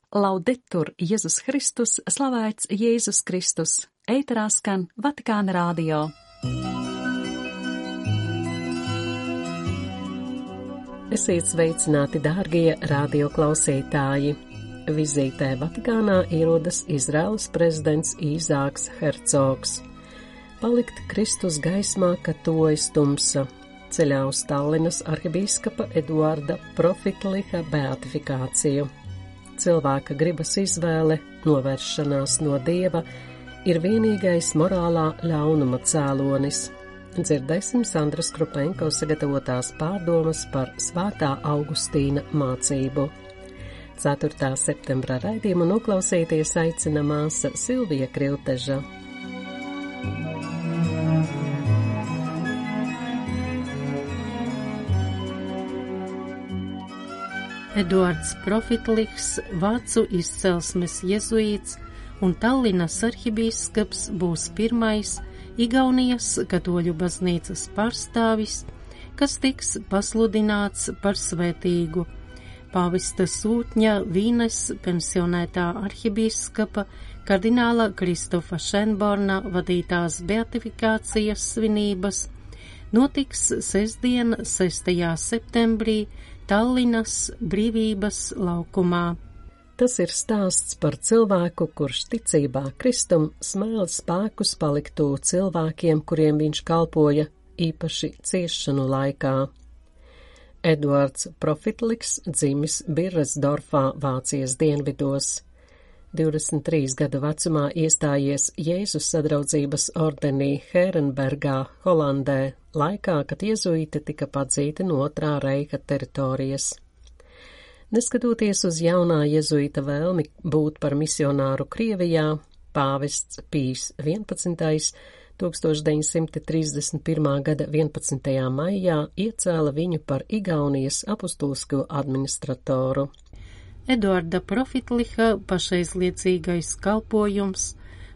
Laudetur Jēzus Kristus, slavēts Jēzus Kristus, ēterā skan Vatikāna radio. Esiet sveicināti, dārgie radioklausītāji! Vizītē Vatikānā ierodas Izraēlas prezidents Īzāks Hercogs. Palikt Kristus gaismā, ka tojas tumsa. Ceļā uz Tallinas arhibīskapa Eduarda Profitliha beatifikāciju. Cilvēka gribas izvēle, novēršanās no Dieva, ir vienīgais morālā ļaunuma cēlonis. Dzirdēsim Sandras Krupenko sagatavotās pārdomas par Svētā Augustīna mācību. 4. septembra raidījumu noklausīties aicina māsa Silvija Krilteža. Eduards Profitliks, vācu izcelsmes jezuīts un Tallinas arhibīskaps, būs pirmais Igaunijas katoļu baznīcas pārstāvis, kas tiks pasludināts par svētīgu. Pāvesta sūtņa Vīnes pensionētā arhibīskapa kardināla Kristofa Šenborna vadītās beatifikācijas svinības notiks sestdien, 6. septembrī, Tallinas Brīvības laukumā. Tas ir stāsts par cilvēku, kurš ticībā Kristum smēla spēkus paliktu cilvēkiem, kuriem viņš kalpoja īpaši ciešanu laikā. Eduards Profitliks dzimis Birresdorfā, Vācijas dienvidos. 23 gadu vecumā iestājies Jēzus sadraudzības ordenī Herenbergā, Holandē, laikā, kad jezuīti tika padzīti no Otrā reiha teritorijas. Neskatoties uz jaunā jezuīta vēlmi būt par misionāru Krievijā, pāvests Pijs 11. 1931. gada 11. maijā iecēla viņu par Igaunijas apustulisko administratoru. Eduarda Profitliha pašaizliedzīgais kalpojums,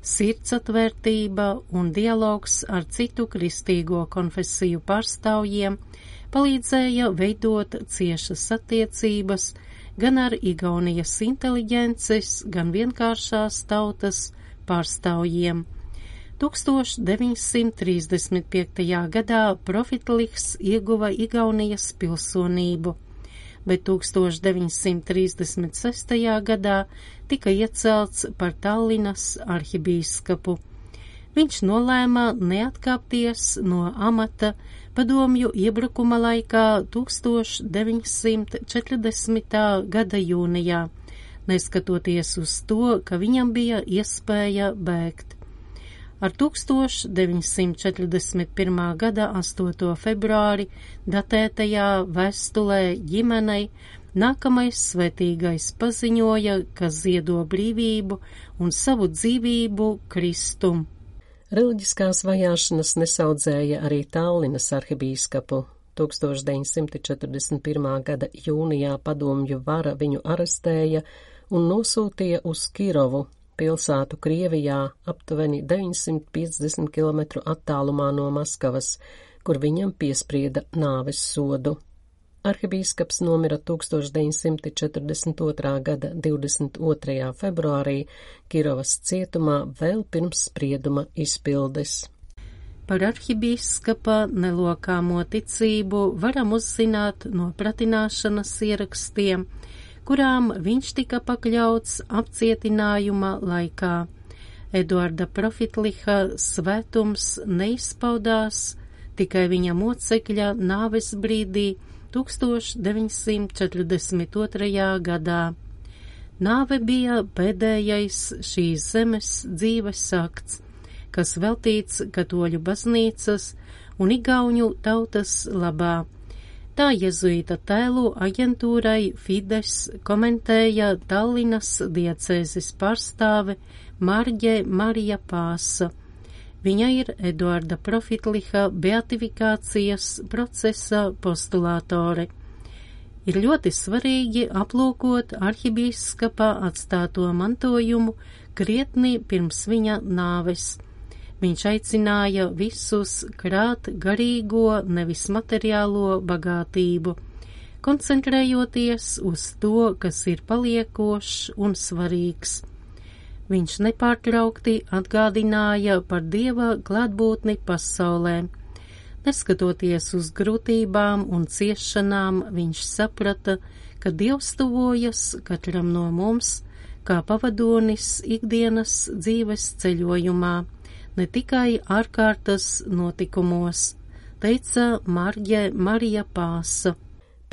sirdsatvērtība un dialogs ar citu kristīgo konfesiju pārstāvjiem palīdzēja veidot ciešas attiecības gan ar Igaunijas inteliģences, gan vienkāršās tautas pārstāvjiem. 1935. gadā Profitlihs ieguva Igaunijas pilsonību, bet 1936. gadā tika iecelts par Tallinas arhibīskapu. Viņš nolēma neatkāpties no amata padomju iebrukuma laikā 1940. gada jūnijā, neskatoties uz to, ka viņam bija iespēja bēgt. Ar 1941. gada 8. februāri datētajā vēstulē ģimenei nākamais svētīgais paziņoja, ka ziedo brīvību un savu dzīvību Kristum. Reliģiskās vajāšanas nesaudzēja arī Tallinas arhibīskapu. 1941. gada jūnijā padomju vara viņu arestēja un nosūtīja uz Kirovu, pilsētu Krievijā, aptuveni 950 km attālumā no Maskavas, kur viņam piesprieda nāves sodu. Arhibīskaps nomira 1942. gada 22. februārī Kirovas cietumā vēl pirms sprieduma izpildes. Par arhibīskapa nelokāmo ticību varam uzzināt no pratināšanas ierakstiem, kurām viņš tika pakļauts apcietinājuma laikā. Eduarda Profitliha svētums neizpaudās tikai viņa mocekļa nāves brīdī 1942. gadā. Nāve bija pēdējais šīs zemes dzīves akts, kas veltīts katoļu baznīcas un igauņu tautas labā. Tā jezuīta tēlu aģentūrai Fides komentēja Tallinas diecēzes pārstāve Marģe Marija Pāsa. Viņa ir Eduarda Profitliha beatifikācijas procesa postulātore. Ir ļoti svarīgi aplūkot arhibīskapa atstāto mantojumu krietni pirms viņa nāves. Viņš aicināja visus krāt garīgo, nevis materiālo bagātību, koncentrējoties uz to, kas ir paliekošs un svarīgs. Viņš nepārtraukti atgādināja par Dieva klātbūtni pasaulē. Neskatoties uz grūtībām un ciešanām, viņš saprata, ka Dievs tuvojas katram no mums, kā pavadonis ikdienas dzīves ceļojumā, ne tikai ārkārtas notikumos, teica Marija Pāsa.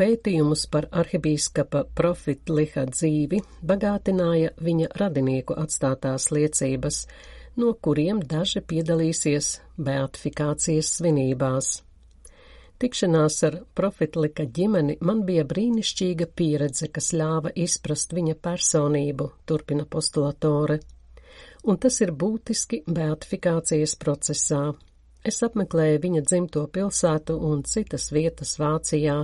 Pētījumus par arhibīskapa Profitliha dzīvi bagātināja viņa radinieku atstātās liecības, no kuriem daži piedalīsies beatifikācijas svinībās. Tikšanās ar Profitlika ģimeni man bija brīnišķīga pieredze, kas ļāva izprast viņa personību, turpina postulatore, un tas ir būtiski beatifikācijas procesā. Es apmeklēju viņa dzimto pilsētu un citas vietas Vācijā,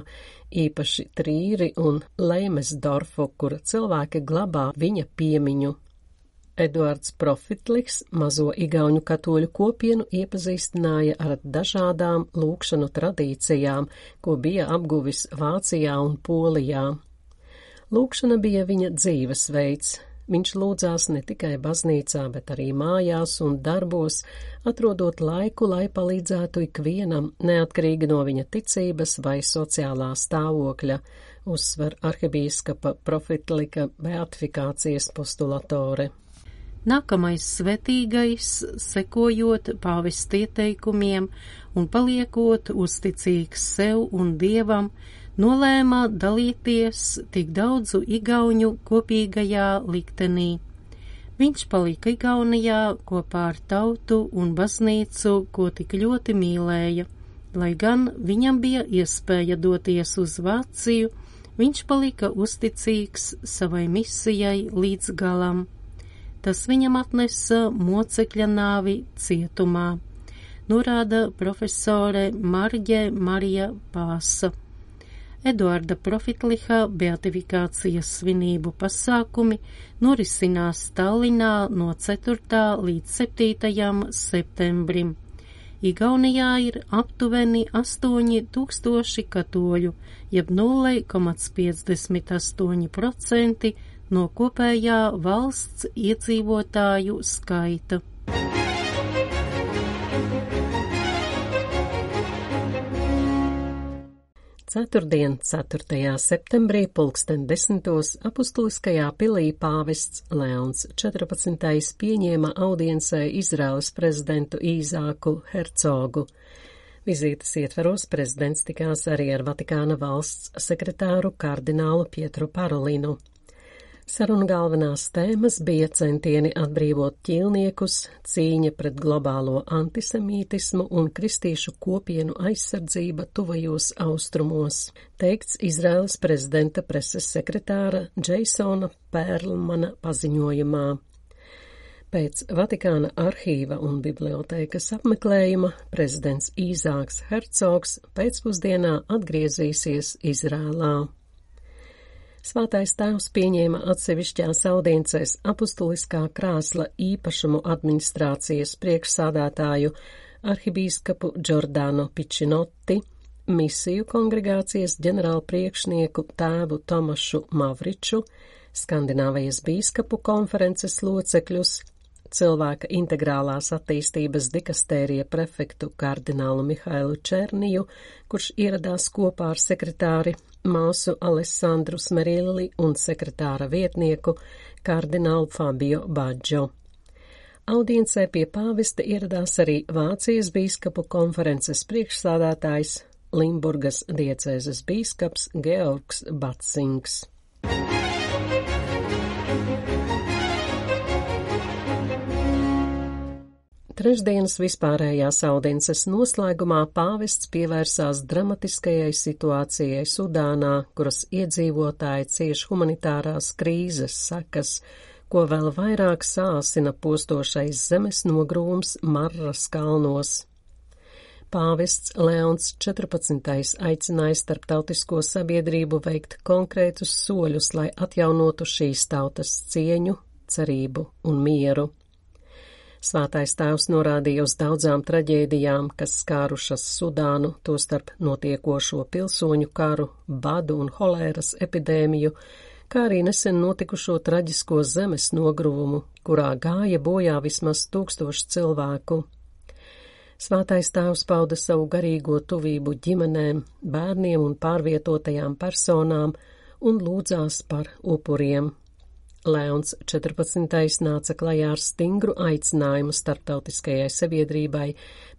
īpaši Trīri un Leimesdorfu, kur cilvēki glabā viņa piemiņu. Eduards Profitliks mazo igauņu katoļu kopienu iepazīstināja ar dažādām lūgšanu tradīcijām, ko bija apguvis Vācijā un Polijā. Lūgšana bija viņa dzīvesveids. Viņš lūdzās ne tikai baznīcā, bet arī mājās un darbos, atrodot laiku, lai palīdzētu ikvienam, neatkarīgi no viņa ticības vai sociālā stāvokļa, uzsver arhibīskapa Profitlika beatifikācijas postulatore. Nākamais svētīgais, sekojot pāvesta ieteikumiem un paliekot uzticīgs sev un Dievam, nolēma dalīties tik daudzu igauņu kopīgajā liktenī. Viņš palika Igaunijā kopā ar tautu un baznīcu, ko tik ļoti mīlēja. Lai gan viņam bija iespēja doties uz Vāciju, viņš palika uzticīgs savai misijai līdz galam. Tas viņam atnesa mocekļa nāvi cietumā, norāda profesore Marija Pāsa. Eduarda Profitliha beatifikācijas svinību pasākumi norisinās Tallinā no 4. līdz 7. septembrim. Igaunijā ir aptuveni 8000 katoļu, jeb 0,58% no kopējā valsts iedzīvotāju skaita. Ceturtdien, 4. septembrī, 10:00 apustuliskajā pilī pāvests Leons 14. pieņēma audiencē Izraēlas prezidentu Īzāku Hercogu. Vizītes ietveros prezidents tikās arī ar Vatikāna valsts sekretāru kardinālu Pietru Parolinu. Saruna galvenās tēmas bija centieni atbrīvot ķīlniekus, cīņa pret globālo antisemītismu un kristīšu kopienu aizsardzība tuvajos austrumos, teikts Izraēlas prezidenta preses sekretāra Džeisona Pērlmana paziņojumā. Pēc Vatikāna arhīva un bibliotēkas apmeklējuma prezidents Īzāks Hercogs pēcpusdienā atgriezīsies Izrēlā. Svētais tēvs pieņēma atsevišķās audiencēs apustuliskā krēsla īpašumu administrācijas priekšsādātāju arhibīskapu Giordano Pičinoti, misiju kongregācijas ģenerālpriekšnieku tēvu Tomašu Mavriču, Skandināvijas bīskapu konferences locekļus, cilvēka integrālās attīstības dikastērija prefektu kardinālu Mihailu Černiju, kurš ieradās kopā ar sekretāri māsu Alessandru Smerilli un sekretāra vietnieku kardinālu Fabio Baggio. Audiencē pie pāvesta ieradās arī Vācijas bīskapu konferences priekšsādātājs Limburgas diecēzes bīskaps Georgs Batsings. Trešdienas vispārējās audiences noslēgumā pāvests pievērsās dramatiskajai situācijai Sudānā, kuras iedzīvotāji cieš humanitārās krīzes sekas, ko vēl vairāk sāsina postošais zemes nogrūms Marras kalnos. Pāvests Leons 14. aicināja starptautisko sabiedrību veikt konkrētus soļus, lai atjaunotu šīs tautas cieņu, cerību un mieru. Svētais tēvs norādīja uz daudzām traģēdijām, kas skārušas Sudānu, tostarp notiekošo pilsoņu karu, badu un holēras epidēmiju, kā arī nesen notikušo traģisko zemes nogruvumu, kurā gāja bojā vismaz 1000 cilvēku. Svētais tēvs pauda savu garīgo tuvību ģimenēm, bērniem un pārvietotajām personām un lūdzās par upuriem. Leons 14. nāca klajā ar stingru aicinājumu starptautiskajai sabiedrībai,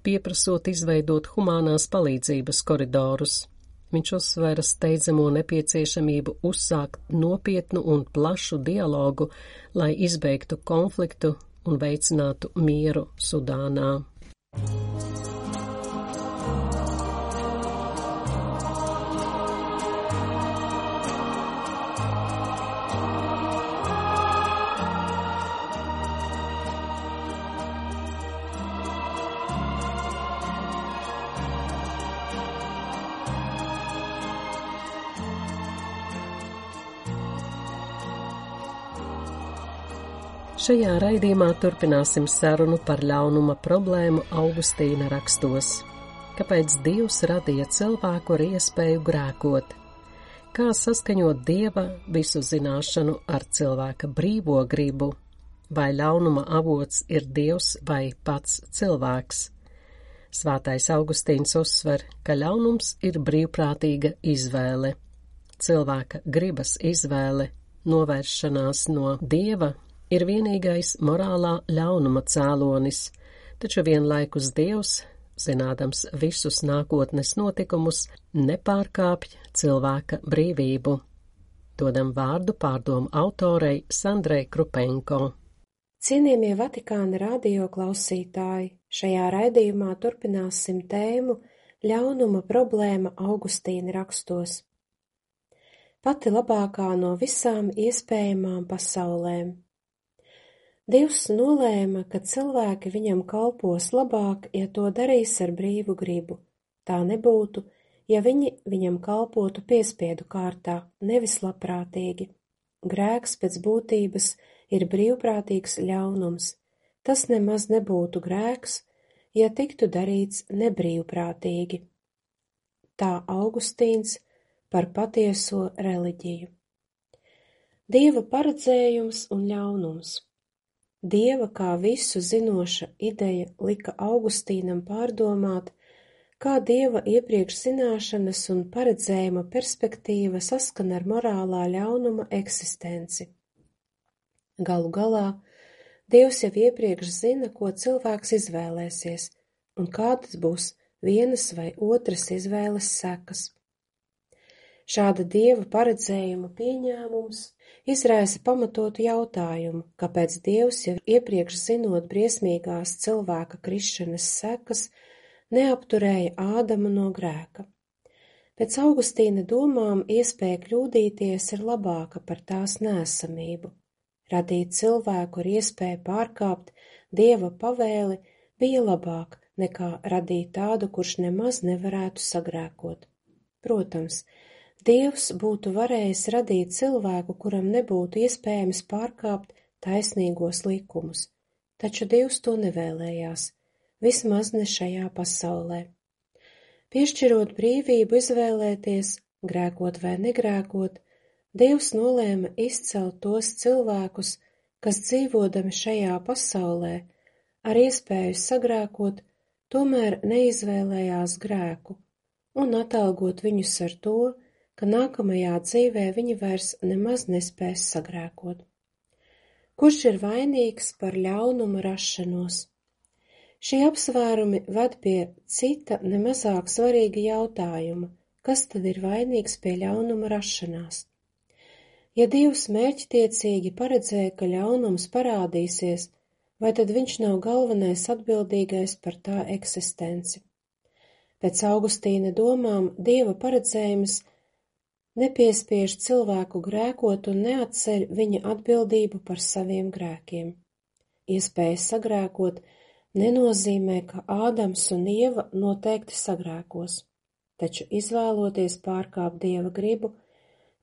pieprasot izveidot humānās palīdzības koridorus. Viņš uzsvēra steidzamo nepieciešamību uzsākt nopietnu un plašu dialogu, lai izbeigtu konfliktu un veicinātu mieru Sudānā. Šajā raidījumā turpināsim sarunu par ļaunuma problēmu Augustīna rakstos. Kāpēc Dievs radīja cilvēku ar iespēju grēkot? Kā saskaņot Dieva visu zināšanu ar cilvēka brīvo gribu? Vai ļaunuma avots ir Dievs vai pats cilvēks? Svētais Augustīns uzsver, ka ļaunums ir brīvprātīga izvēle. Cilvēka gribas izvēle, novēršanās no Dieva, ir vienīgais morālā ļaunuma cēlonis, taču vienlaikus Dievs, zinādams visus nākotnes notikumus, nepārkāpj cilvēka brīvību. Dodam vārdu pārdomu autorei Sandrei Krupenko. Cienījamie Vatikāna radio klausītāji, šajā raidījumā turpināsim tēmu ļaunuma problēma Augustīna rakstos. Pati labākā no visām iespējamām pasaulēm. Dievs nolēma, ka cilvēki viņam kalpos labāk, ja to darīs ar brīvu gribu. Tā nebūtu, ja viņi viņam kalpotu piespiedu kārtā, nevis labprātīgi. Grēks pēc būtības ir brīvprātīgs ļaunums. Tas nemaz nebūtu grēks, ja tiktu darīts nebrīvprātīgi. Tā Augustīns par patieso reliģiju. Dieva paredzējums un ļaunums. Dieva kā visu zinoša ideja lika Augustīnam pārdomāt, kā Dieva iepriekš zināšanas un paredzējuma perspektīva saskan ar morālā ļaunuma eksistenci. Galu galā, Dievs jau iepriekš zina, ko cilvēks izvēlēsies, un kādas būs vienas vai otras izvēles sekas. Šāda Dieva paredzējuma pieņēmums izraisa pamatotu jautājumu, kāpēc Dievs, jau iepriekš zinot briesmīgās cilvēka krišanas sekas, neapturēja Ādamu no grēka. Pēc Augustīna domām iespēja kļūdīties ir labāka par tās neesamību. Radīt cilvēku ar iespēju pārkāpt Dieva pavēli bija labāk nekā radīt tādu, kurš nemaz nevarētu sagrēkot. Protams, Dievs būtu varējis radīt cilvēku, kuram nebūtu iespējams pārkāpt taisnīgos likumus, taču Dievs to nevēlējās, vismaz ne šajā pasaulē. Piešķirot brīvību izvēlēties, grēkot vai negrēkot, Dievs nolēma izcelt tos cilvēkus, kas dzīvodami šajā pasaulē, ar iespēju sagrēkot, tomēr neizvēlējās grēku, un atalgot viņus ar to, ka nākamajā dzīvē viņi vairs nemaz nespēs sagrēkot. Kurš ir vainīgs par ļaunuma rašanos? Šie apsvērumi ved pie cita nemazāk svarīga jautājuma, kas tad ir vainīgs pie ļaunuma rašanās? Ja Dievs mērķtiecīgi paredzēja, ka ļaunums parādīsies, vai tad viņš nav galvenais atbildīgais par tā eksistenci? Pēc Augustīna domām Dieva paredzējums nepiespiež cilvēku grēkot un neatceļ viņa atbildību par saviem grēkiem. Iespēja sagrēkot nenozīmē, ka Ādams un Ieva noteikti sagrēkos, taču izvēloties pārkāpt Dieva gribu,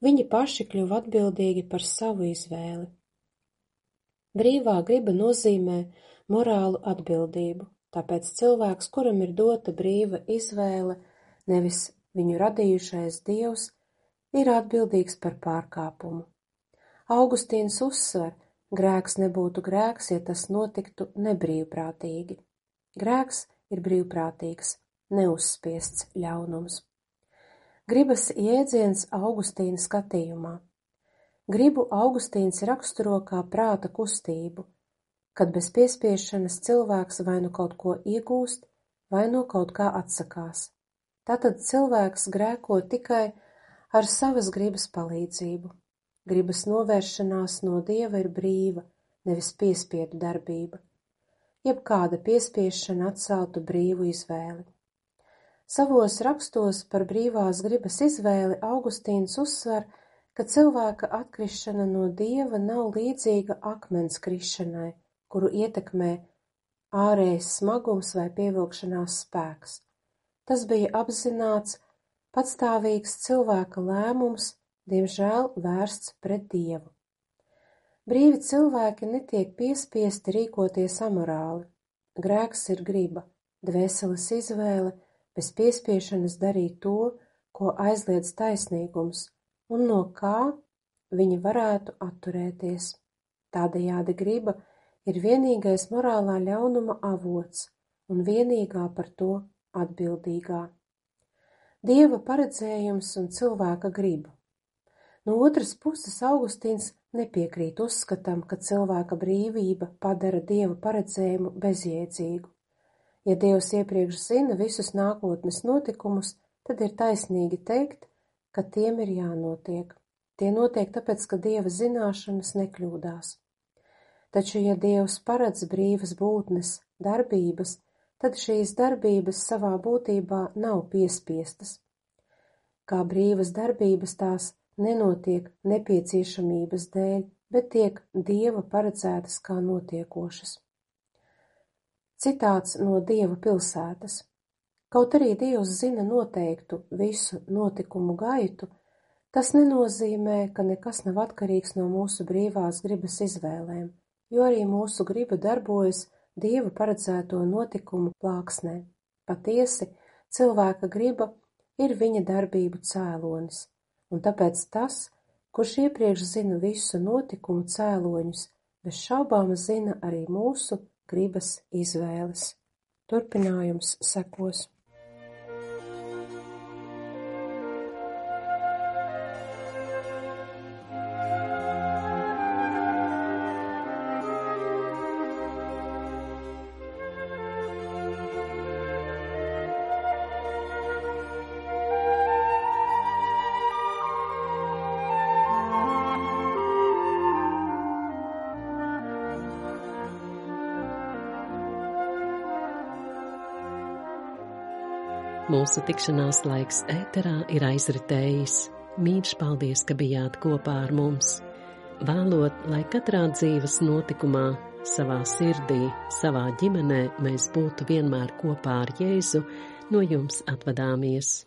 viņi paši kļuva atbildīgi par savu izvēli. Brīvā griba nozīmē morālu atbildību, tāpēc cilvēks, kuram ir dota brīva izvēle, nevis viņu radījušais Dievs, ir atbildīgs par pārkāpumu. Augustīns uzsver, grēks nebūtu grēks, ja tas notiktu nebrīvprātīgi. Grēks ir brīvprātīgs, neuzspiests ļaunums. Gribas jēdziens Augustīna skatījumā. Gribu Augustīns raksturo kā prāta kustību, kad bez piespiešanas cilvēks vai nu kaut ko iegūst, vai no kaut kā atsakās. Tātad cilvēks grēko tikai ar savas gribas palīdzību. Gribas novēršanās no Dieva ir brīva, nevis piespiedu darbība. Jebkāda piespiešana atceltu brīvu izvēli. Savos rakstos par brīvās gribas izvēli Augustīns uzsver, ka cilvēka atkrišana no Dieva nav līdzīga akmens krišanai, kuru ietekmē ārējs smagums vai pievilkšanās spēks. Tas bija apzināts, patstāvīgs cilvēka lēmums, diemžēl vērsts pret Dievu. Brīvi cilvēki netiek piespiesti rīkoties amorāli. Grēks ir griba, dvēseles izvēle, bez piespiešanas darīt to, ko aizliedz taisnīgums, un no kā viņi varētu atturēties. Tādējādi griba ir vienīgais morālā ļaunuma avots un vienīgā par to atbildīgā. Dieva paredzējums un cilvēka griba. No otras puses Augustīns nepiekrīt uzskatam, ka cilvēka brīvība padara Dieva paredzējumu bezjēdzīgu. Ja Dievs iepriekš zina visus nākotnes notikumus, tad ir taisnīgi teikt, ka tiem ir jānotiek. Tie notiek tāpēc, ka Dieva zināšanas nekļūdās. Taču, ja Dievs paredz brīvas būtnes darbības, tad šīs darbības savā būtībā nav piespiestas. Kā brīvas darbības tās nenotiek nepieciešamības dēļ, bet tiek Dieva paredzētas kā notiekošas. Citāts no Dieva pilsētas. Kaut arī Dievs zina noteiktu visu notikumu gaitu, tas nenozīmē, ka nekas nav atkarīgs no mūsu brīvās gribas izvēlēm, jo arī mūsu griba darbojas Dieva paredzēto notikumu plāksnē. Patiesi, cilvēka griba ir viņa darbību cēlonis, un tāpēc tas, kurš iepriekš zina visu notikumu cēloņus, bez šaubām zina arī mūsu gribas izvēles. Turpinājums sekos. Mūsu tikšanās laiks ēterā ir aizritējis. Mīļš paldies, ka bijāt kopā ar mums. Vēlot, lai katrā dzīves notikumā, savā sirdī, savā ģimenē mēs būtu vienmēr kopā ar Jēzu, no jums atvadāmies.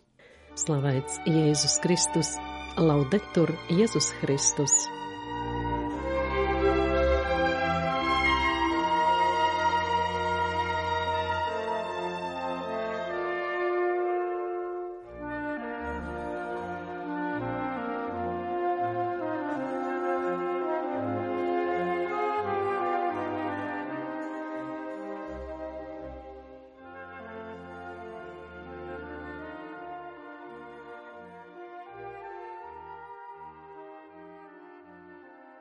Slavēts Jēzus Kristus, laudetur Jēzus Kristus!